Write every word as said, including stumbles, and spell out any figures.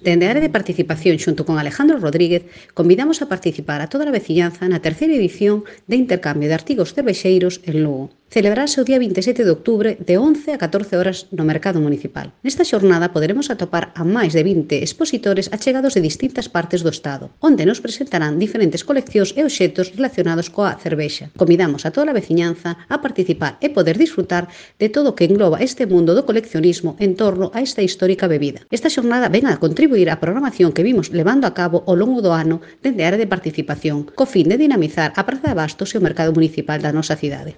Dende a área de participación xunto con Alejandro Rodríguez, convidamos a participar a toda a veciñanza na terceira edición de intercambio de artigos cervexeiros en Lugo. Celebrarse o día vinte e sete de outubro de once a catorce horas no Mercado Municipal. Nesta xornada poderemos atopar a máis de vinte expositores achegados de distintas partes do Estado, onde nos presentarán diferentes coleccións e obxectos relacionados coa cervexa. Convidamos a toda a veciñanza a participar e poder disfrutar de todo o que engloba este mundo do coleccionismo en torno a esta histórica bebida. Esta xornada ven a contribuir á programación que vimos levando a cabo ao longo do ano dende a área de participación, co fin de dinamizar a Praza de Abastos e o Mercado Municipal da nosa cidade.